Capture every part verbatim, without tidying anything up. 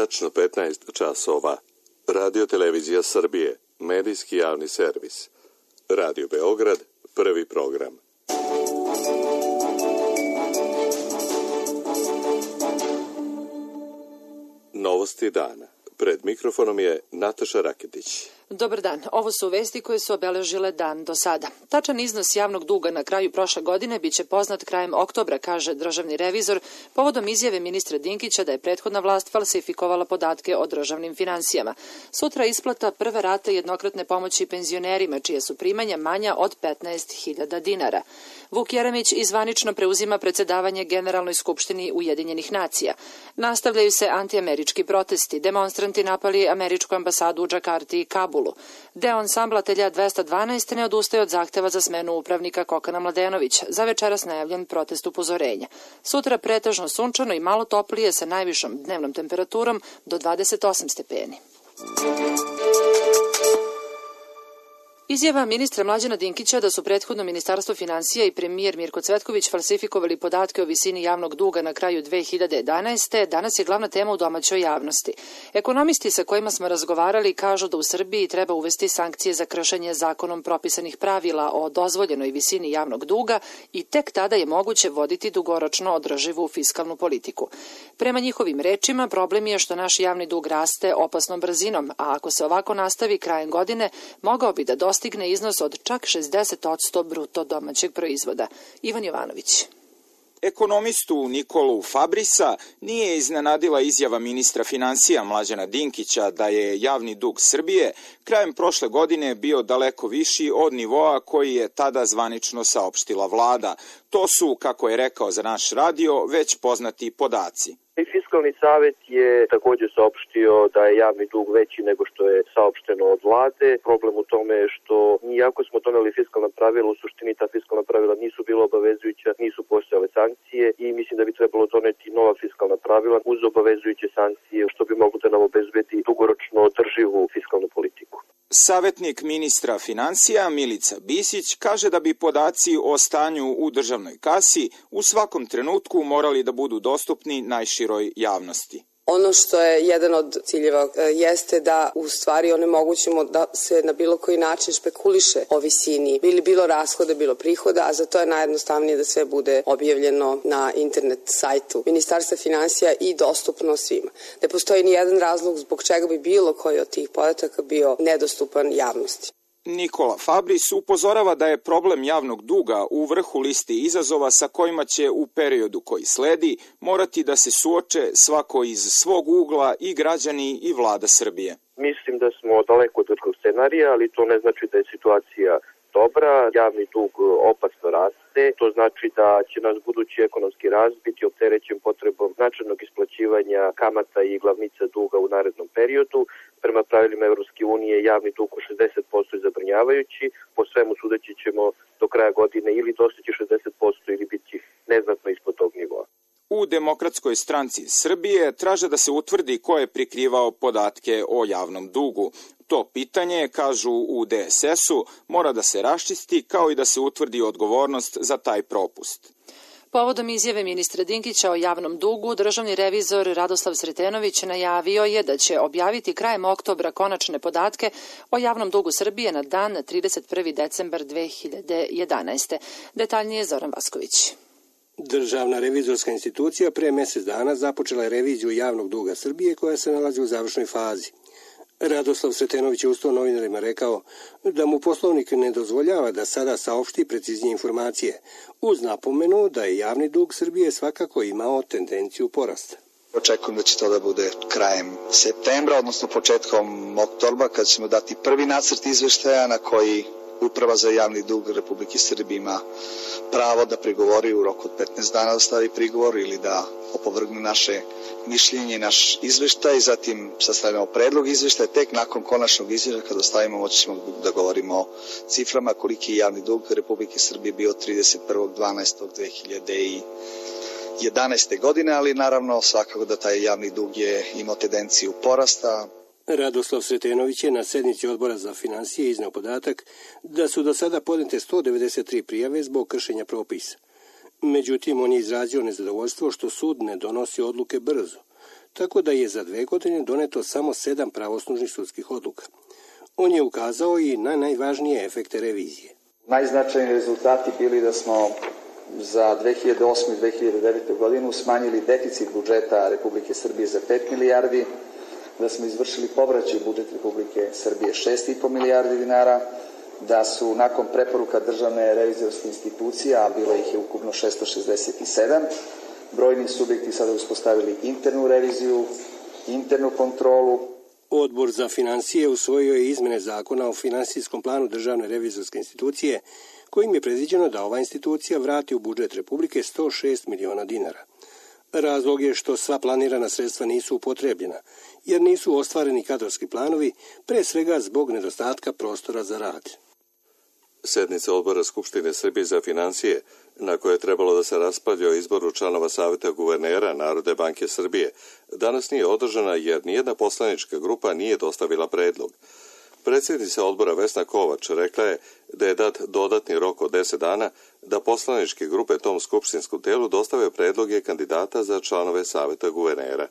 tačno petnaest časova. Radio Televizija Srbije, medijski javni servis. Radio Beograd, prvi program. Novosti dana. Pred mikrofonom je Nataša Raketić. Dobar dan. Ovo su vesti koje su obeležile dan do sada. Tačan iznos javnog duga na kraju prošle godine biće poznat krajem oktobra, kaže državni revizor, povodom izjave ministra Dinkića da je prethodna vlast falsifikovala podatke o državnim finansijama. Sutra isplata prve rate jednokratne pomoći penzionerima, čije su primanja manja od petnaest hiljada dinara. Vuk Jeremić izvanično preuzima predsedavanje Generalnoj skupštini Ujedinjenih nacija. Nastavljaju se antiamerički protesti. Demonstranti napali američku ambasadu u Džakarti i Kabulu. Deo ansambla Telja dvesta dvanaest ne odustaje od zahteva za smenu upravnika Kokana Mladenović. Za večeras najavljen protest upozorenja. Sutra pretežno sunčano i malo toplije sa najvišom dnevnom temperaturom do dvadeset osam stepeni. Izjava ministra Mlađana Dinkića da su prethodno Ministarstvo finansija i premijer Mirko Cvetković falsifikovali podatke o visini javnog duga na kraju dve hiljade jedanaeste. danas je glavna tema u domaćoj javnosti. Ekonomisti sa kojima smo razgovarali kažu da u Srbiji treba uvesti sankcije za kršenje zakonom propisanih pravila o dozvoljenoj visini javnog duga i tek tada je moguće voditi dugoročno održivu fiskalnu politiku. Prema njihovim rečima, problem je što naš javni dug raste opasnom brzinom, a ako se ovako nastavi krajem godine, mogao bi da dosta stigne iznos od čak šezdeset posto bruto domaćeg proizvoda. Ivan Jovanović. Ekonomistu Nikolu Fabrisa nije iznenadila izjava ministra finansija Mlađana Dinkića da je javni dug Srbije krajem prošle godine bio daleko viši od nivoa koji je tada zvanično saopštila vlada. To su, kako je rekao za naš radio, već poznati podaci. Fiskalni savet je također saopštio da je javni dug veći nego što je saopšteno od vlade. Problem u tome je što iako smo doneli fiskalna pravila, u suštini ta fiskalna pravila nisu bila obavezujuća, nisu postojale sankcije i mislim da bi trebalo doneti nova fiskalna pravila uz obavezujuće sankcije, što bi moglo da nam obezbedi dugoročno održivu fiskalnu politiku. Savetnik ministra finansija Milica Bisić kaže da bi podaci o stanju u državnoj kasi u svakom trenutku morali da budu dostupni najširoj javnosti. Ono što je jedan od ciljeva jeste da u stvari onemogućimo da se na bilo koji način špekuliše o visini, bili bilo rashoda, bilo prihoda, a za to je najjednostavnije da sve bude objavljeno na internet sajtu Ministarstva finansija i dostupno svima. Ne postoji ni jedan razlog zbog čega bi bilo koji od tih podataka bio nedostupan javnosti. Nikola Fabris upozorava da je problem javnog duga u vrhu listi izazova sa kojima će u periodu koji sledi morati da se suoče svako iz svog ugla i građani i vlada Srbije. Mislim da smo daleko od vrhog scenarija, ali to ne znači da je situacija dobra. Javni dug opasno raste. To znači da će nas budući ekonomski rast biti opterećen potrebom značajnog isplaćivanja kamata i glavnica duga u narednom periodu. Prema pravilima Evropske unije javni dug u šezdeset posto je zabrinjavajući. Po svemu sudeći ćemo do kraja godine ili dostići šezdeset posto ili biti neznatno ispod tog nivoa. U Demokratskoj stranci Srbije traže da se utvrdi ko je prikrivao podatke o javnom dugu. To pitanje, kažu u de es es-u, mora da se raščisti kao i da se utvrdi odgovornost za taj propust. Povodom izjave ministra Dinkića o javnom dugu, državni revizor Radoslav Sretenović najavio je da će objaviti krajem oktobra konačne podatke o javnom dugu Srbije na dan trideset prvi decembar dve hiljade jedanaeste. Detaljnije Zoran Vasković. Državna revizorska institucija pre mjesec dana započela je reviziju javnog duga Srbije koja se nalazi u završnoj fazi. Radoslav Sretenović je uz to novinarima rekao da mu poslovnik ne dozvoljava da sada saopšti preciznije informacije, uz napomenu da je javni dug Srbije svakako imao tendenciju porasta. Očekujem da će to da bude krajem septembra, odnosno početkom oktobra, kad ćemo dati prvi nacrt izveštaja na koji Uprava za javni dug Republike Srbije ima pravo da prigovori u roku od petnaest dana da stavi prigovor ili da opovrgne naše mišljenje i naš izveštaj. Zatim sastavljamo predlog izveštaja. Tek nakon konačnog izveštaja kada stavimo moći ćemo da govorimo o ciframa koliki je javni dug Republike Srbije bio trideset prvog decembra dve hiljade jedanaeste. godine, ali naravno svakako da taj javni dug je imao tendenciju porasta. Radoslav Sretenović je na sednici Odbora za finansije izneo podatak da su do sada podnete sto devedeset tri prijave zbog kršenja propisa. Međutim, on je izrazio nezadovoljstvo što sud ne donosi odluke brzo, tako da je za dve godine doneto samo sedam pravosnažnih sudskih odluka. On je ukazao i na najvažnije efekte revizije. Najznačajniji rezultati bili da smo za dve hiljade osme i dve hiljade devete. godinu smanjili deficit budžeta Republike Srbije za pet milijardi, da smo izvršili povraćaj u budžet Republike Srbije šest i po milijardi dinara, da su nakon preporuka Državne revizorske institucije, a bilo ih je ukupno šesto šezdeset sedam, brojni subjekti sada uspostavili internu reviziju, internu kontrolu. Odbor za financije usvojio je izmene zakona o finansijskom planu Državne revizorske institucije, kojim je predviđeno da ova institucija vrati u budžet Republike sto šest miliona dinara. Razlog je što sva planirana sredstva nisu upotrebljena, jer nisu ostvareni kadrovski planovi, pre svega zbog nedostatka prostora za rad. Sednica odbora Skupštine Srbije za financije, na koje je trebalo da se raspravlja o izboru članova Saveta guvernera Narodne banke Srbije, danas nije održana jer nijedna poslanička grupa nije dostavila predlog. Predsjednica odbora Vesna Kovač rekla je da je dat dodatni rok od deset dana da poslaničke grupe tom skupštinskom telu dostave predloge kandidata za članove Saveta guvernera.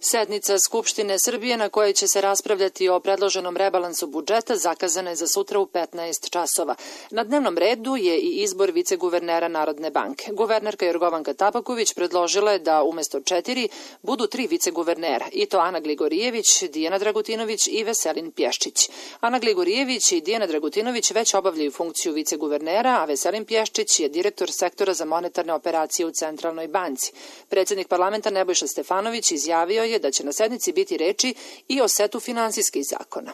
Sednica Skupštine Srbije na kojoj će se raspravljati o predloženom rebalansu budžeta zakazana je za sutra u petnaest časova. Na dnevnom redu je i izbor viceguvernera Narodne banke. Guvernerka Jorgovanka Tabaković predložila je da umesto četiri budu tri viceguvernera, i to Ana Gligorijević, Dijana Dragutinović i Veselin Pješčić. Ana Gligorijević i Dijana Dragutinović već obavljaju funkciju viceguvernera, a Veselin Pješčić je direktor sektora za monetarne operacije u Centralnoj banci. Predsjednik parlamenta Nebojša Stefanović izjavio je da će na sednici biti reči i o setu finansijskih zakona.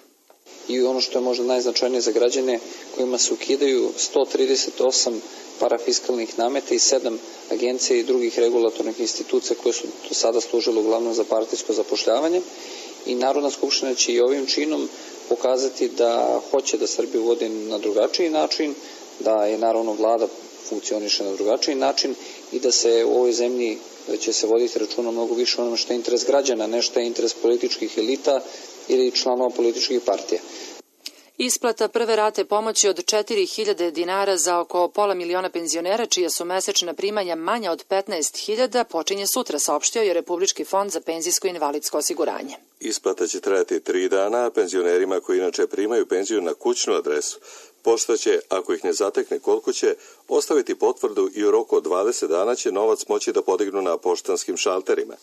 I ono što je možda najznačajnije za građane, kojima se ukidaju sto trideset osam parafiskalnih nameta i sedam agencija i drugih regulatornih institucija koje su do sada služile uglavnom za partijsko zapošljavanje, i Narodna skupština će i ovim činom pokazati da hoće da Srbiju vodi na drugačiji način, da je naravno vlada funkcioniše na drugačiji način i da se u ovoj zemlji će se voditi računa mnogo više onome što je interes građana, ne što je interes političkih elita ili članova političkih partija. Isplata prve rate pomoći od četiri hiljade dinara za oko pola miliona penzionera, čija su mesečna primanja manja od petnaest hiljada, počinje sutra, saopštio je Republički fond za penzijsko i invalidsko osiguranje. Isplata će trajati tri dana, a penzionerima koji inače primaju penziju na kućnu adresu, pošta će, ako ih ne zatekne kod kuće, ostaviti potvrdu i u roku od dvadeset dana će novac moći da podignu na poštanskim šalterima.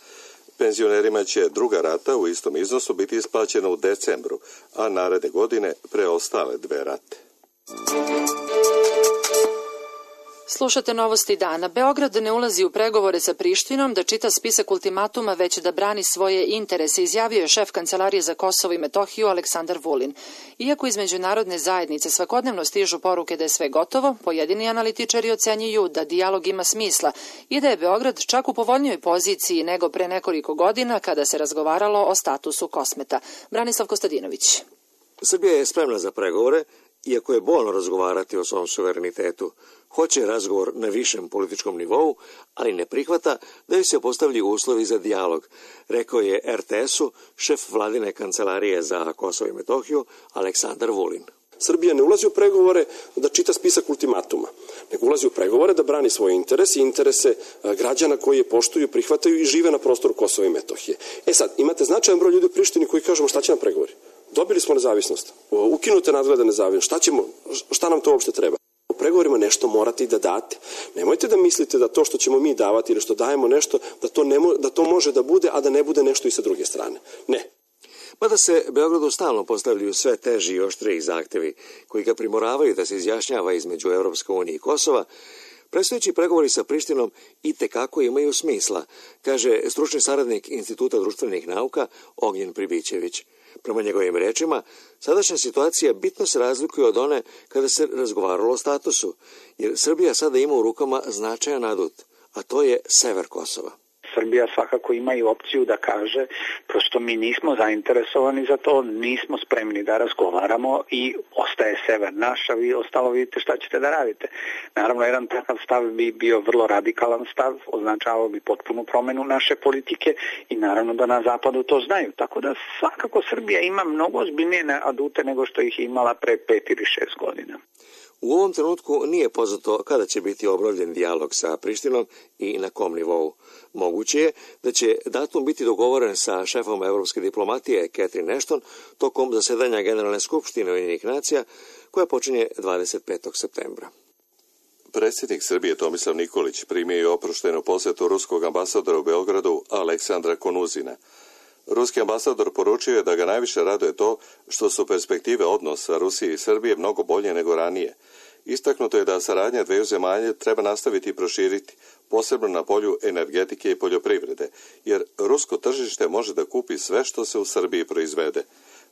Penzionerima će druga rata u istom iznosu biti isplaćena u decembru, a naredne godine preostale dve rate. Slušate novosti dana. Beograd ne ulazi u pregovore sa Prištinom da čita spisak ultimatuma, već da brani svoje interese, izjavio je šef Kancelarije za Kosovo i Metohiju Aleksandar Vulin. Iako iz međunarodne zajednice svakodnevno stižu poruke da je sve gotovo, pojedini analitičari ocenjuju da dijalog ima smisla i da je Beograd čak u povoljnijoj poziciji nego pre nekoliko godina kada se razgovaralo o statusu Kosmeta. Branislav Kostadinović. Srbija je spremna za pregovore, iako je bolno razgovarati o svom suverenitetu. Hoće razgovor na višem političkom nivou, ali ne prihvata da joj se postavlji uslovi za dijalog, rekao je er te esu šef vladine Kancelarije za Kosovo i Metohiju Aleksandar Vulin. Srbija ne ulazi u pregovore da čita spisak ultimatuma, nego ulazi u pregovore da brani svoje interese i interese građana koji je poštuju, prihvataju i žive na prostoru Kosova i Metohije. E sad, imate značajan broj ljudi u Prištini koji kažemo šta će nam pregovori? Dobili smo nezavisnost, ukinute nadgleda nezavisnost, šta ćemo, šta nam to uopšte treba? U pregovorima nešto morate i da date. Nemojte da mislite da to što ćemo mi davati ili što dajemo nešto, da to, ne mo, da to može da bude, a da ne bude nešto i sa druge strane. Ne. Mada se Beogradu stalno postavljaju sve teži i oštriji zahtevi koji ga primoravaju da se izjašnjava između Evropske unije i Kosova, predstojeći pregovori sa Prištinom i tekako imaju smisla, kaže stručni saradnik Instituta društvenih nauka Ognjen Pribićević. Prema njegovim rečima, sadašnja situacija bitno se razlikuje od one kada se razgovaralo o statusu, jer Srbija sada ima u rukama značajan adut, a to je sever Kosova. Srbija svakako ima i opciju da kaže prosto mi nismo zainteresovani za to, nismo spremni da razgovaramo i ostaje sever naš, a vi ostalo vidite šta ćete da radite. Naravno, jedan takav stav bi bio vrlo radikalan stav, označavao bi potpunu promenu naše politike i naravno da na zapadu to znaju. Tako da svakako Srbija ima mnogo ozbiljnije adute nego što ih je imala pre pet ili šest godina. U ovom trenutku nije poznato kada će biti obnovljen dijalog sa Prištinom i na kom nivou. Moguće je da će datum biti dogovoren sa šefom evropske diplomatije Catherine Ashton tokom zasedanja Generalne skupštine Ujedinjenih nacija koja počinje dvadeset petog septembra. Predsjednik Srbije Tomislav Nikolić primio je oproštenu posjetu ruskog ambasadora u Beogradu Aleksandra Konuzina. Ruski ambasador poručio je da ga najviše raduje to što su perspektive odnosa Rusije i Srbije mnogo bolje nego ranije. Istaknuto je da saradnja dveju zemalja treba nastaviti i proširiti, posebno na polju energetike i poljoprivrede, jer rusko tržište može da kupi sve što se u Srbiji proizvede.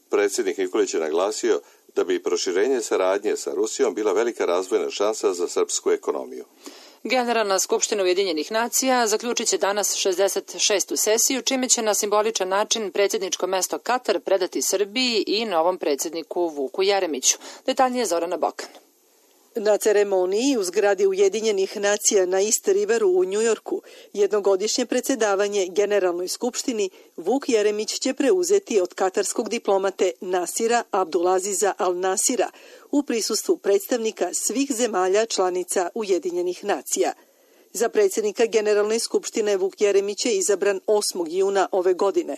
Predsjednik Nikolić je naglasio da bi proširenje saradnje sa Rusijom bila velika razvojna šansa za srpsku ekonomiju. Generalna skupština Ujedinjenih nacija zaključit će danas šezdeset šestu sesiju, čime će na simboličan način predsjedničko mesto Katar predati Srbiji i novom predsjedniku Vuku Jeremiću. Detaljnije Zorana Bokan. Na ceremoniji u zgradi Ujedinjenih nacija na East Riveru u Njujorku jednogodišnje predsjedavanje Generalnoj skupštini Vuk Jeremić će preuzeti od katarskog diplomate Nasira Abdulaziza Al-Nasira u prisustvu predstavnika svih zemalja članica Ujedinjenih nacija. Za predsjednika Generalne skupštine Vuk Jeremić je izabran osmog juna ove godine.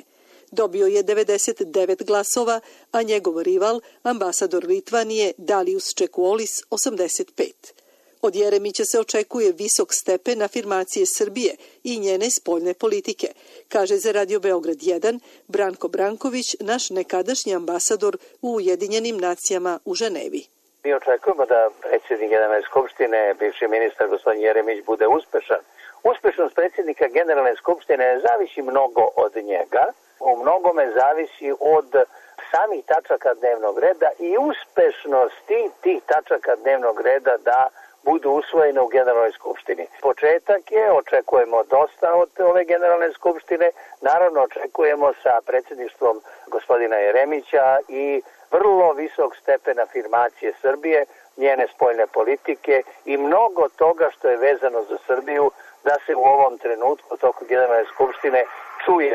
Dobio je devedeset devet glasova, a njegov rival, ambasador Litvanije Dalius Čekuolis, osamdeset pet. Od Jeremića se očekuje visok stepen afirmacije Srbije i njene spoljne politike, kaže za Radio Beograd jedan Branko Branković, naš nekadašnji ambasador u Ujedinjenim nacijama u Ženevi. Mi očekujemo da predsjednik Generalne skupštine, bivši ministar gospodin Jeremić, bude uspešan. Uspešnost predsjednika Generalne skupštine zavisi mnogo od njega. U mnogome zavisi od samih tačaka dnevnog reda i uspešnosti tih tačaka dnevnog reda da budu usvojene u Generalnoj skupštini. Početak je, očekujemo dosta od ove Generalne skupštine, naravno očekujemo sa predsjedništvom gospodina Jeremića i vrlo visok stepen afirmacije Srbije, njene spoljne politike i mnogo toga što je vezano za Srbiju da se u ovom trenutku toku Generalne skupštine čuje.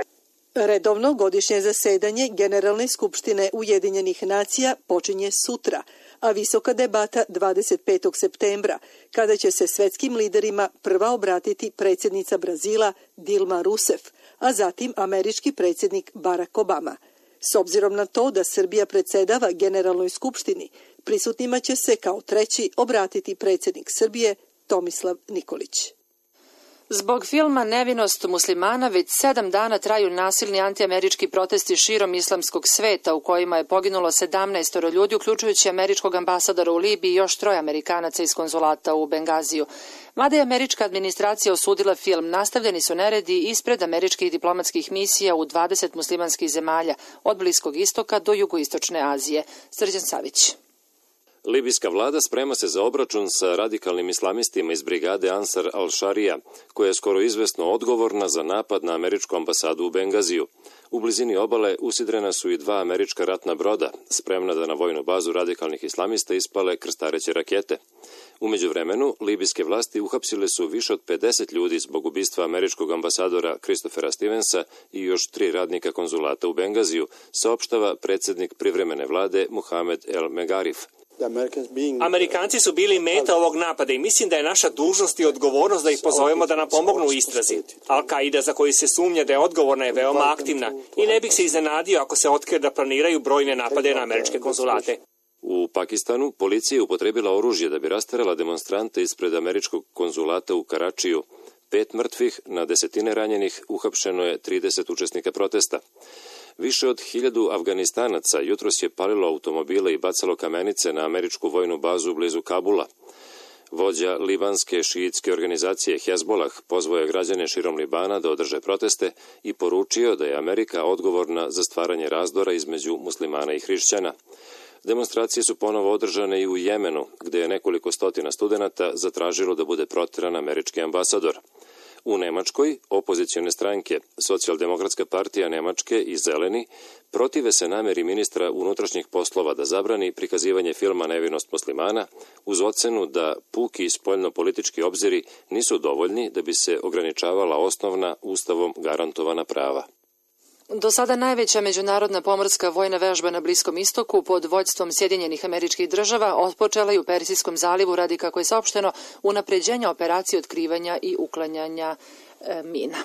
Redovno godišnje zasedanje Generalne skupštine Ujedinjenih nacija počinje sutra, a visoka debata dvadeset petog septembra, kada će se svetskim liderima prva obratiti predsjednica Brazila Dilma Rousseff, a zatim američki predsjednik Barack Obama. S obzirom na to da Srbija predsjedava Generalnoj skupštini, prisutnima će se kao treći obratiti predsjednik Srbije Tomislav Nikolić. Zbog filma Nevinost muslimana već sedam dana traju nasilni antiamerički protesti širom islamskog sveta u kojima je poginulo sedamnaest ljudi, uključujući američkog ambasadora u Libiji i još troje Amerikanaca iz konzulata u Bengaziju. Mada je američka administracija osudila film, nastavljeni su neredi ispred američkih diplomatskih misija u dvadeset muslimanskih zemalja, od Bliskog istoka do jugoistočne Azije. Srđan Savić. Libijska vlada sprema se za obračun sa radikalnim islamistima iz brigade Ansar al-Šarija, koja je skoro izvesno odgovorna za napad na američku ambasadu u Bengaziju. U blizini obale usidrena su i dva američka ratna broda, spremna da na vojnu bazu radikalnih islamista ispale krstareće rakete. U međuvremenu, libijske vlasti uhapsile su više od pedeset ljudi zbog ubistva američkog ambasadora Christophera Stevensa i još tri radnika konzulata u Bengaziju, saopštava predsjednik privremene vlade Mohamed El Megarif. Amerikanci su bili meta ovog napada i mislim da je naša dužnost i odgovornost da ih pozovemo da nam pomognu u istrazi. Al-Qaida, za koju se sumnja da je odgovorna, je veoma aktivna i ne bih se iznenadio ako se otkrije da planiraju brojne napade na američke konzulate. U Pakistanu policija je upotrebila oružje da bi rasterala demonstrante ispred američkog konzulata u Karačiju. Pet mrtvih, na desetine ranjenih, uhapšeno je trideset učesnika protesta. Više od hiljadu Afganistanaca jutros je palilo automobile i bacalo kamenice na američku vojnu bazu blizu Kabula. Vođa libanske šiitske organizacije Hezbolah pozvao je građane širom Libana da održe proteste i poručio da je Amerika odgovorna za stvaranje razdora između muslimana i hrišćana. Demonstracije su ponovo održane i u Jemenu, gde je nekoliko stotina studenata zatražilo da bude proteran američki ambasador. U Nemačkoj opozicione stranke, Socijaldemokratska partija Nemačke i Zeleni, protive se nameri ministra unutrašnjih poslova da zabrani prikazivanje filma Nevinost muslimana uz ocenu da puki spoljno-politički obziri nisu dovoljni da bi se ograničavala osnovna ustavom garantovana prava. Do sada najveća međunarodna pomorska vojna vežba na Bliskom istoku pod vođstvom Sjedinjenih Američkih Država otpočela je u Persijskom zalivu radi, kako je saopšteno, unapređenja operacije otkrivanja i uklanjanja e, mina.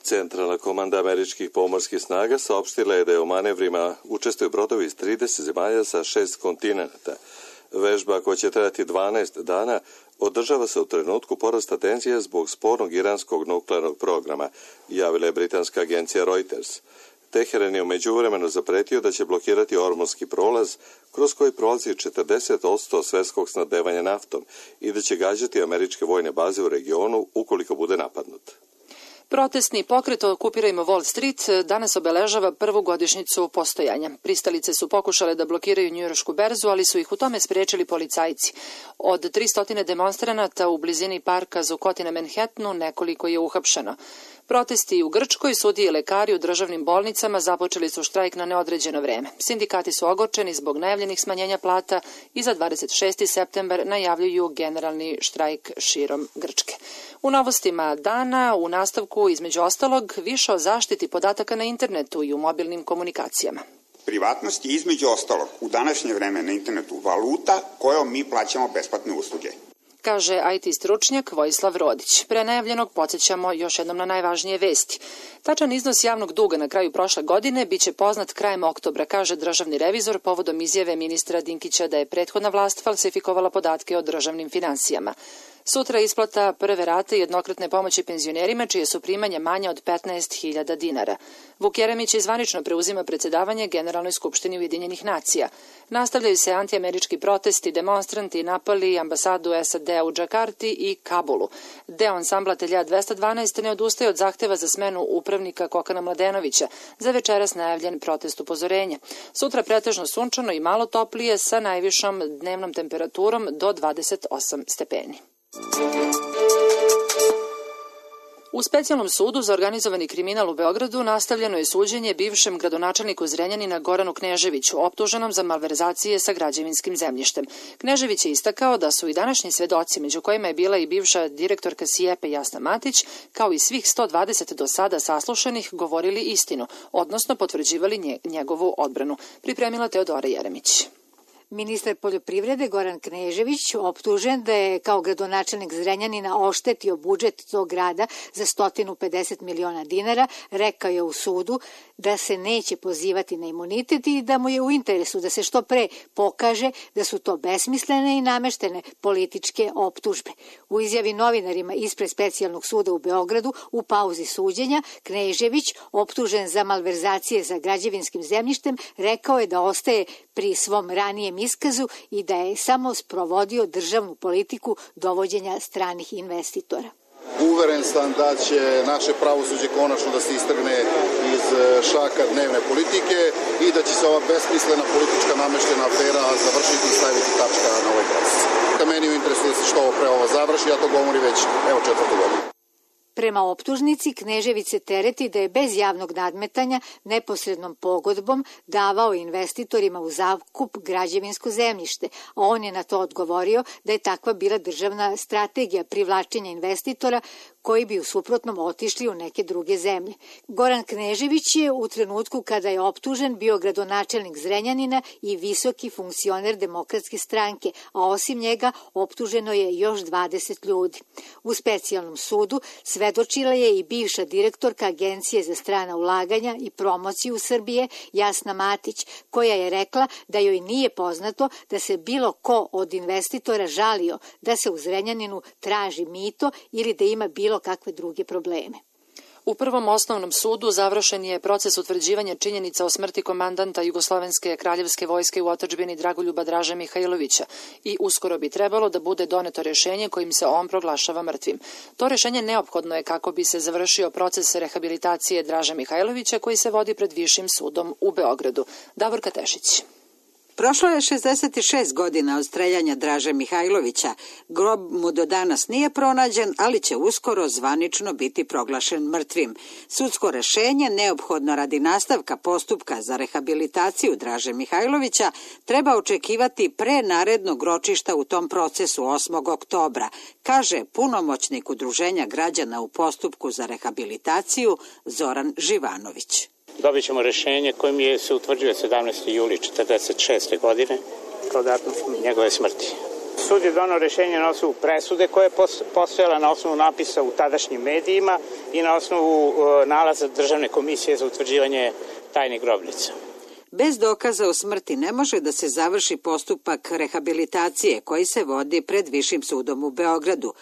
Centralna komanda američkih pomorskih snaga saopštila je da je u manevrima učestvuju brodovi iz trideset zemalja sa šest kontinenta. Vežba, koja će trajati dvanaest dana, održava se u trenutku porasta tenzija zbog spornog iranskog nuklearnog programa, javila je britanska agencija Reuters. Teheran je u međuvremenu zapretio da će blokirati Ormunski prolaz, kroz koji prolazi četrdeset posto svetskog snabdevanja naftom i da će gađati američke vojne baze u regionu ukoliko bude napadnut. Protestni pokret Okupirajmo Wall Street danas obeležava prvu godišnjicu postojanja. Pristalice su pokušale da blokiraju njujoršku berzu, ali su ih u tome spriječili policajci. Od tristo demonstranata u blizini parka Zuccotti na Manhattanu nekoliko je uhapšeno. Protesti u Grčkoj, sudije i lekari u državnim bolnicama započeli su štrajk na neodređeno vreme. Sindikati su ogorčeni zbog najavljenih smanjenja plata i za dvadeset šesti septembar najavljuju generalni štrajk širom Grčke. U novostima dana, u nastavku, između ostalog, više o zaštiti podataka na internetu i u mobilnim komunikacijama. Privatnost je između ostalog u današnje vreme na internetu valuta kojom mi plaćamo besplatne usluge, kaže I T stručnjak Vojislav Rodić. Pre najavljenog podsjećamo još jednom na najvažnije vesti. Tačan iznos javnog duga na kraju prošle godine biće poznat krajem oktobra, kaže državni revizor povodom izjave ministra Dinkića da je prethodna vlast falsifikovala podatke o državnim finansijama. Sutra isplata prve rate jednokratne pomoći penzionerima čije su primanja manja od petnaest hiljada dinara. Vuk Jeremić zvanično preuzima predsjedavanje Generalnoj skupštini Ujedinjenih nacija. Nastavljaju se antiamerički protesti, demonstranti napali ambasadu S A D u Džakarti i Kabulu. Deo ansambla Telja dvesta dvanaest ne odustaje od zahteva za smenu upravnika Kokana Mladenovića, za večeras najavljen protest upozorenja. Sutra pretežno sunčano i malo toplije sa najvišom dnevnom temperaturom do dvadeset osam stepeni. U specijalnom sudu za organizovani kriminal u Beogradu nastavljeno je suđenje bivšem gradonačelniku Zrenjanina Goranu Kneževiću, optuženom za malverzacije sa građevinskim zemljištem. Knežević je istakao da su i današnji svedoci, među kojima je bila i bivša direktorka Sijepe Jasna Matić, kao i svih sto dvadeset do sada saslušanih, govorili istinu, odnosno potvrđivali njegovu odbranu. Pripremila Teodora Jeremić. Ministar poljoprivrede Goran Knežević, optužen da je kao gradonačelnik Zrenjanina oštetio budžet tog grada za sto pedeset miliona dinara, rekao je u sudu da se neće pozivati na imunitet i da mu je u interesu da se što pre pokaže da su to besmislene i nameštene političke optužbe. U izjavi novinarima ispred specijalnog suda u Beogradu u pauzi suđenja, Knežević, optužen za malverzacije za građevinskim zemljištem, rekao je da ostaje pri svom ranijem iskazu i da je samo sprovodio državnu politiku dovođenja stranih investitora. Uveren sam da će naše pravosuđe konačno da se istrgne iz šaka dnevne politike i da će se ova besmislena politička nameštena afera završiti i staviti tačka na ovaj proces. Meni je u interesu da se što pre ovo završi, ja to govorim već evo četvrtu godinu. Prema optužnici, Knežević se tereti da je bez javnog nadmetanja neposrednom pogodbom davao investitorima u zakup građevinsko zemljište, a on je na to odgovorio da je takva bila državna strategija privlačenja investitora koji bi u suprotnom otišli u neke druge zemlje. Goran Knežević je u trenutku kada je optužen bio gradonačelnik Zrenjanina i visoki funkcioner Demokratske stranke, a osim njega optuženo je još dvadeset ljudi. U specijalnom sudu svedočila je i bivša direktorka Agencije za strana ulaganja i promociju Srbije Jasna Matić, koja je rekla da joj nije poznato da se bilo ko od investitora žalio da se u Zrenjaninu traži mito ili da ima bilo kakve druge probleme. U Prvom osnovnom sudu završen je proces utvrđivanja činjenica o smrti komandanta Jugoslovenske kraljevske vojske u otadžbini Dragoljuba Draže Mihajlovića i uskoro bi trebalo da bude doneto rješenje kojim se on proglašava mrtvim. To rješenje neophodno je kako bi se završio proces rehabilitacije Draže Mihajlovića koji se vodi pred Višim sudom u Beogradu. Davorka Tešić. Prošlo je šezdeset šest godina od streljanja Draže Mihajlovića. Grob mu do danas nije pronađen, ali će uskoro zvanično biti proglašen mrtvim. Sudsko rešenje, neophodno radi nastavka postupka za rehabilitaciju Draže Mihajlovića, treba očekivati pre narednog ročišta u tom procesu osmog oktobra, kaže punomoćnik Udruženja građana u postupku za rehabilitaciju Zoran Živanović. dobit ćemo rešenje kojim je se utvrđuje sedamnaesti juli četrdeset šeste godine kao datum njegove smrti. Sud je donao rešenje na osnovu presude koja je postojala na osnovu napisa u tadašnjim medijima i na osnovu nalaza Državne komisije za utvrđivanje tajnih grobnica. Bez dokaza o smrti ne može da se završi postupak rehabilitacije koji se vodi pred Višim sudom u Beogradu.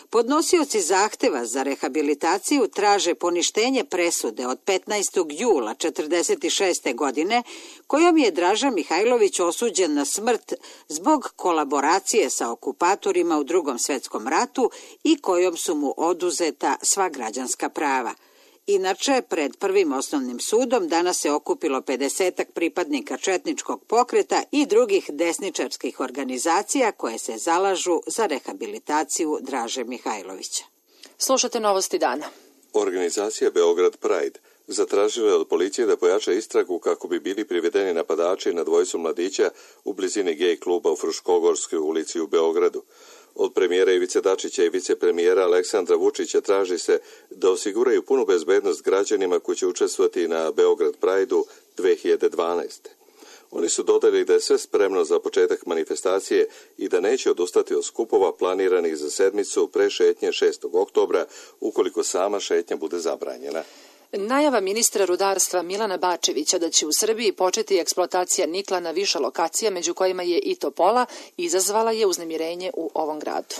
Podnosioci zahteva za rehabilitaciju traže poništenje presude od petnaestog jula četrdeset šeste godine kojom je Draža Mihajlović osuđen na smrt zbog kolaboracije sa okupatorima u Drugom svetskom ratu i kojom su mu oduzeta sva građanska prava. Inače, pred Prvim osnovnim sudom danas se okupilo pedesetak pripadnika četničkog pokreta i drugih desničarskih organizacija koje se zalažu za rehabilitaciju Draže Mihajlovića. Slušate Novosti dana. Organizacija Beograd Pride zatražila je od policije da pojača istragu kako bi bili privedeni napadači na dvojicu mladića u blizini gej kluba u Fruškogorskoj ulici u Beogradu. Od premijera Ivice Dačića i vicepremijera Aleksandra Vučića traži se da osiguraju punu bezbednost građanima koji će učestvovati na Beograd Pride-u dve hiljade dvanaeste. Oni su dodali da je sve spremno za početak manifestacije i da neće odustati od skupova planiranih za sedmicu pre šetnje šestog oktobra ukoliko sama šetnja bude zabranjena. Najava ministra rudarstva Milana Bačevića da će u Srbiji početi eksploatacija nikla na više lokacija, među kojima je i Topola, izazvala je uznemirenje u ovom gradu.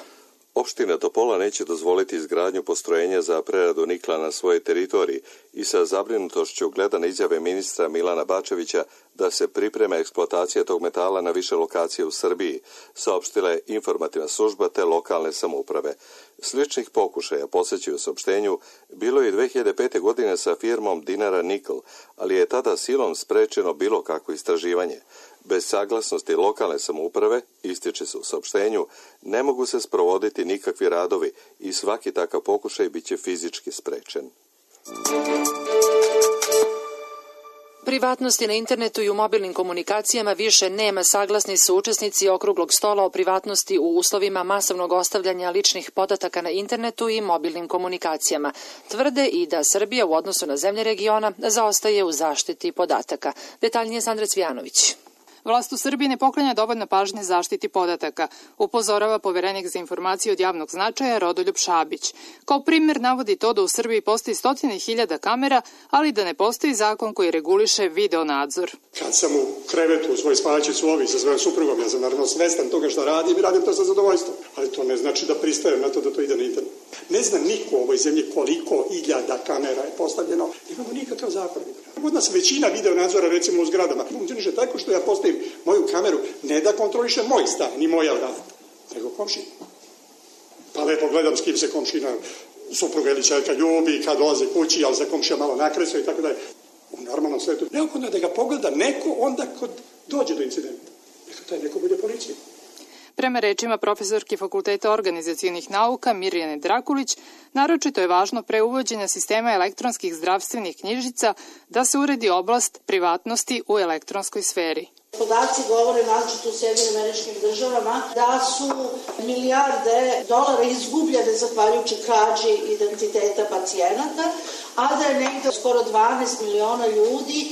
Opština Topola neće dozvoliti izgradnju postrojenja za preradu nikla na svojoj teritoriji i sa zabrinutošću gleda na izjave ministra Milana Bačevića da se priprema eksploatacija tog metala na više lokacije u Srbiji, saopštila je informativna služba te lokalne samouprave. Sličnih pokušaja, posjećaju saopštenju, bilo je i dve hiljade pete. godine sa firmom Dinara Nikl, ali je tada silom sprečeno bilo kakvo istraživanje. Bez saglasnosti lokalne samouprave, ističe se u saopštenju, ne mogu se sprovoditi nikakvi radovi i svaki takav pokušaj bit će fizički sprečen. Privatnosti na internetu i u mobilnim komunikacijama više nema, saglasni su učesnici okruglog stola o privatnosti u uslovima masovnog ostavljanja ličnih podataka na internetu i mobilnim komunikacijama. Tvrde i da Srbija u odnosu na zemlje regiona zaostaje u zaštiti podataka. Detaljnije Sandra Cvijanović. Vlast u Srbiji ne poklanja dovoljno pažnje zaštiti podataka, upozorava poverenik za informacije od javnog značaja Rodoljub Šabić. Kao primjer navodi to da u Srbiji postoji stotine hiljada kamera, ali da ne postoji zakon koji reguliše video nadzor. Kad sam u krevetu u svojoj spavaćoj sobi sa svojom suprugom, ja sam naravno svestan toga što radim i radim to sa zadovoljstvom, ali to ne znači da pristajem na to da to ide na internet. Ne zna niko u ovoj zemlji koliko hiljada kamera je postavljeno, nemamo nikakav zakon. Kod nas većina video nadzora, recimo u zgradama, funkcioniše tako što ja postavim moju kameru ne da kontroliše moj stan, ni moja vrata, nego komšina. Pa lepo gledam s kim se komšina, supruga ili čerka ljubi, kad dolaze kući, ali se komšija malo nakreso i tako dalje. U normalnom svetu neophodno da ga pogleda neko onda kod dođe do incidenta. Neka taj neko bude policija. Prema rečima profesorke Fakulteta organizacijonih nauka Mirjane Drakulić, naročito je važno pre uvođenja sistema elektronskih zdravstvenih knjižica da se uredi oblast privatnosti u elektronskoj sferi. Podaci govore naročito u Sjedinjenim Američkim Državama da su milijarde dolara izgubljene zahvaljujući krađi identiteta pacijenata, a da je negde skoro dvanaest miliona ljudi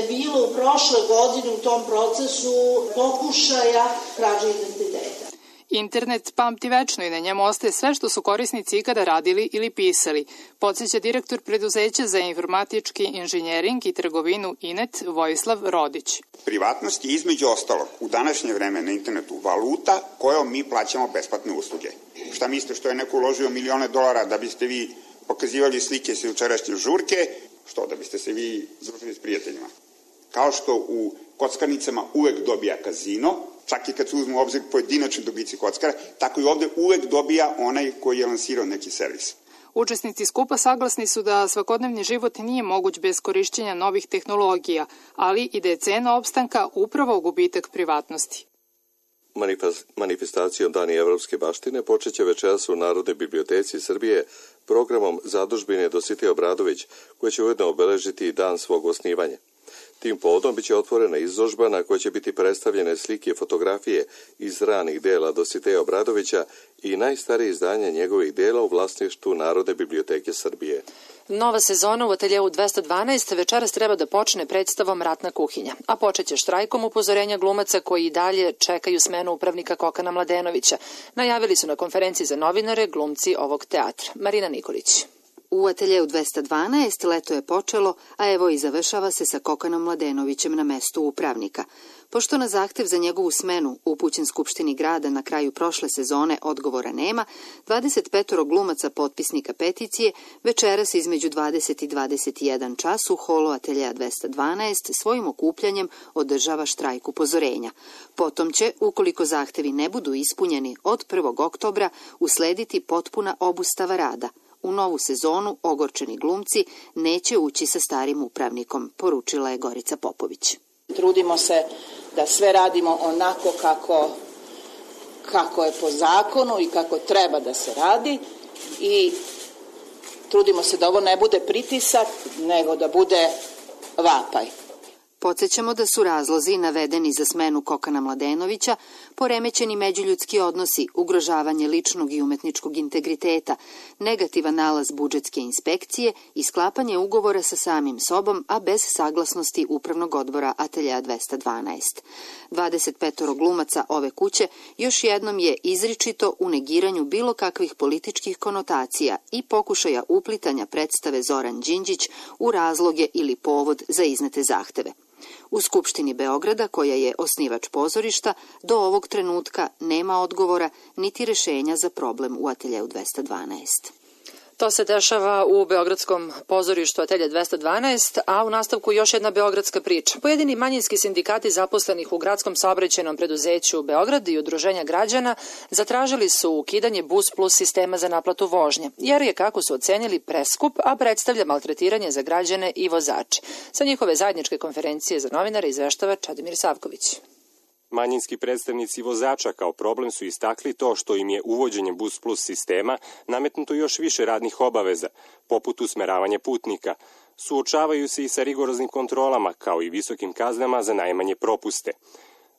bilo u prošle godine u tom procesu pokušaja krađe identiteta. Internet pamti večno i na njemu ostaje sve što su korisnici ikada radili ili pisali, podsjeća direktor preduzeća za informatički inženjering i trgovinu Inet Vojislav Rodić. Privatnost je između ostalog u današnje vreme na internetu valuta kojom mi plaćamo besplatne usluge. Šta mislite, što je neko uložio milione dolara da biste vi pokazivali slike sa jučerašnje žurke, što da biste se vi združili s prijateljima? Kao što u kockarnicama uvek dobija kazino, čak i kad se uzmu u obzir pojedinačni dobici kockara, tako i ovde uvek dobija onaj koji je lansirao neki servis. Učesnici skupa saglasni su da svakodnevni život nije moguć bez korišćenja novih tehnologija, ali i da je cena opstanka upravo gubitak privatnosti. Manifestacijom Dani evropske baštine počeće večeras u Narodnoj biblioteci Srbije programom zadužbine Dositej Obradović, koji će ujedno obeležiti i dan svog osnivanja. Tim povodom biće otvorena izložba na kojoj će biti predstavljene slike i fotografije iz ranih dela Dositeja Obradovića i najstarije izdanje njegovih dela u vlasništvu Narodne biblioteke Srbije. Nova sezona u ateljeu dvesta dvanaest večeras treba da počne predstavom Ratna kuhinja, a počeće štrajkom upozorenja glumaca koji i dalje čekaju smenu upravnika Kokana Mladenovića. Najavili su na konferenciji za novinare glumci ovog teatra. Marina Nikolić. U ateljeu dvesta dvanaest leto je počelo, a evo i završava se sa Kokanom Mladenovićem na mestu upravnika. Pošto na zahtev za njegovu smenu upućen Skupštini grada na kraju prošle sezone odgovora nema, dvadeset pet glumaca potpisnika peticije večeras između dvadeset i dvadeset jedan čas u holu ateljeja dvesta dvanaest svojim okupljanjem održava štrajk upozorenja. Potom će, ukoliko zahtevi ne budu ispunjeni od prvog oktobra, uslediti potpuna obustava rada. U novu sezonu ogorčeni glumci neće ući sa starim upravnikom, poručila je Gorica Popović. Trudimo se da sve radimo onako kako, kako je po zakonu i kako treba da se radi i trudimo se da ovo ne bude pritisak, nego da bude vapaj. Podsjećamo da su razlozi navedeni za smenu Kokana Mladenovića poremećeni međuljudski odnosi, ugrožavanje ličnog i umetničkog integriteta, negativan nalaz budžetske inspekcije i sklapanje ugovora sa samim sobom, a bez saglasnosti Upravnog odbora ateljeja dvesta dvanaest. dvadeset pet glumaca ove kuće još jednom je izričito u negiranju bilo kakvih političkih konotacija i pokušaja uplitanja predstave Zoran Đinđić u razloge ili povod za iznete zahteve. U Skupštini Beograda, koja je osnivač pozorišta, do ovog trenutka nema odgovora niti rešenja za problem u ateljeu dvesta dvanaest. To se dešava u Beogradskom pozorištu atelje dvesta dvanaest, a u nastavku još jedna beogradska priča. Pojedini manjinski sindikati zaposlenih u gradskom saobraćajnom preduzeću Beograd i udruženja građana zatražili su ukidanje Bus Plus sistema za naplatu vožnje, jer je, kako su ocenili, preskup, a predstavlja maltretiranje za građane i vozače. Sa njihove zajedničke konferencije za novinare izveštava Čadomir Savković. Manjinski predstavnici vozača kao problem su istakli to što im je uvođenjem Bus Plus sistema nametnuto još više radnih obaveza, poput usmeravanja putnika. Suočavaju se i sa rigoroznim kontrolama, kao i visokim kaznama za najmanje propuste.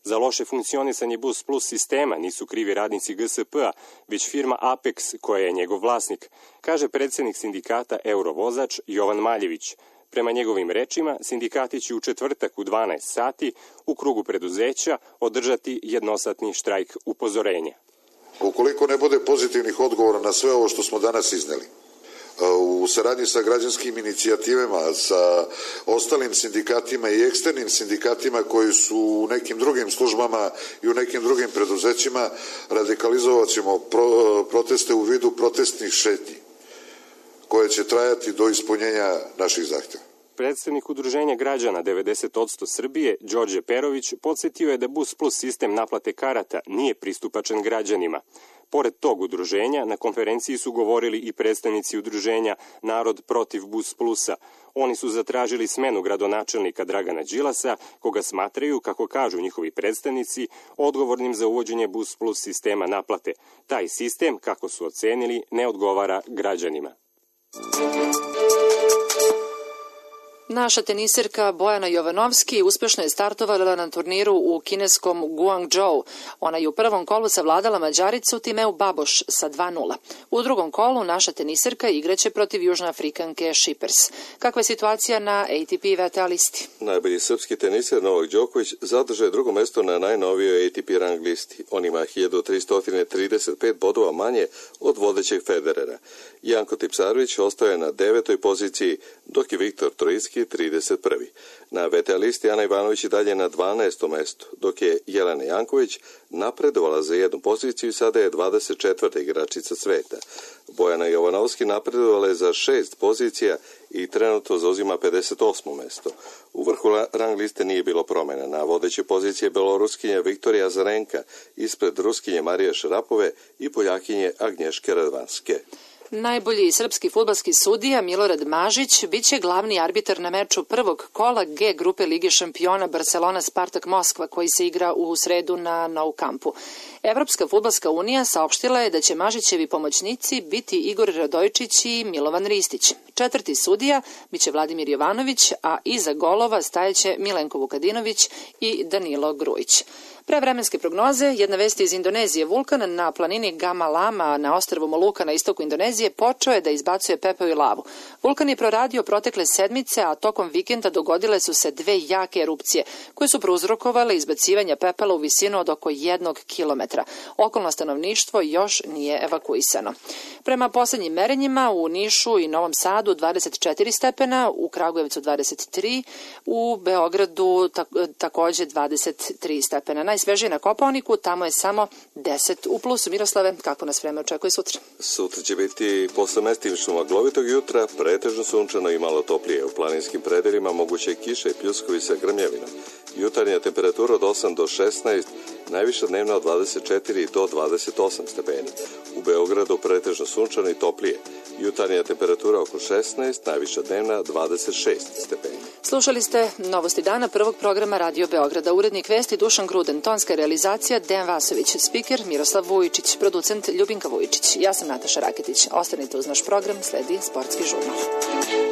Za loše funkcionisanje Bus Plus sistema nisu krivi radnici G S P-a, već firma Apex, koja je njegov vlasnik, kaže predsjednik sindikata Eurovozač Jovan Maljević. Prema njegovim rečima, sindikati će u četvrtak u dvanaest sati u krugu preduzeća održati jednosatni štrajk upozorenja. Ukoliko ne bude pozitivnih odgovora na sve ovo što smo danas izneli, u saradnji sa građanskim inicijativama, sa ostalim sindikatima i eksternim sindikatima koji su u nekim drugim službama i u nekim drugim preduzećima, radikalizovat ćemo pro, proteste u vidu protestnih šetnji, koje će trajati do ispunjenja naših zahtjeva. Predstavnik udruženja građana devedeset posto Srbije, Đorđe Perović, podsjetio je da Bus Plus sistem naplate karata nije pristupačan građanima. Pored tog udruženja, na konferenciji su govorili i predstavnici udruženja Narod protiv Bus Plusa. Oni su zatražili smenu gradonačelnika Dragana Đilasa, koga smatraju, kako kažu njihovi predstavnici, odgovornim za uvođenje Bus Plus sistema naplate. Taj sistem, kako su ocenili, ne odgovara građanima. Naša teniserka Bojana Jovanovski uspešno je startovala na turniru u kineskom Guangzhou. Ona je u prvom kolu savladala Mađaricu Timeu Baboš sa dva nula. U drugom kolu naša teniserka igraće protiv Južnoafrikanke Šipers. Kakva je situacija na A T P V T A listi? Najbolji srpski teniser Novak Đoković zadrže drugo mesto na najnovijoj A T P rang listi. On ima hiljadu trista trideset pet bodova manje od vodećeg Federera. Janko Tipsarević ostaje na devetoj poziciji, dok je Viktor Trojicki trideset prvi. Na V T A listi Ana Ivanović i dalje na dvanaestom mestu, dok je Jelena Janković napredovala za jednu poziciju i sada je dvadeset četvrta igračica sveta. Bojana Jovanovski napredovala je za šest pozicija i trenutno zauzima pedeset osmo mesto. U vrhu rang liste nije bilo promjena. Na vodećoj poziciji je Beloruskinja Viktorija Azarenka, ispred Ruskinje Marije Šarapove i Poljakinje Agnješke Radvanske. Najbolji srpski fudbalski sudija Milorad Mažić biće glavni arbitar na meču prvog kola G grupe Lige šampiona Barcelona-Spartak Moskva koji se igra u sredu na Nou Campu. Evropska fudbalska unija saopštila je da će Mažićevi pomoćnici biti Igor Radojčić i Milovan Ristić. Četvrti sudija biće Vladimir Jovanović, a iza golova stajeće Milenko Vukadinović i Danilo Grujić. Pre vremenske prognoze, jedna vest iz Indonezije. Vulkan na planini Gama Lama na ostrvu Moluka na istoku Indonezije počeo je da izbacuje pepeo i lavu. Vulkan je proradio protekle sedmice, a tokom vikenda dogodile su se dve jake erupcije koje su prouzrokovale izbacivanje pepela u visinu od oko jednog kilometra. Okolno stanovništvo još nije evakuisano. Prema poslednjim merenjima u Nišu i Novom Sadu dvadeset četiri stepena, u Kragujevcu dvadeset tri, u Beogradu takođe dvadeset tri stepena. Najsvežije na Kopaoniku, tamo je samo deset u plusu. Miroslave, kako nas vreme očekuje sutra? Sutra će biti posle mestimično maglovitog jutra, pretežno sunčano i malo toplije. U planinskim predelima moguće kiše i pljuskovi sa grmljavinom. Jutarnja temperatura od osam do šesnaest, najviša dnevna od dvadeset četiri do dvadeset osam stepeni. U Beogradu pretežno sunčano i toplije. Jutarnja temperatura oko šesnaest, najviša dnevna dvadeset šest stepeni. Slušali ste Novosti dana prvog programa Radio Beograda. Urednik vesti Dušan Gruden, tonska realizacija Dejan Vasović, spiker Miroslav Vujičić, producent Ljubinka Vujičić. Ja sam Nataša Raketić. Ostanite uz naš program, sledi Sportski žurnal.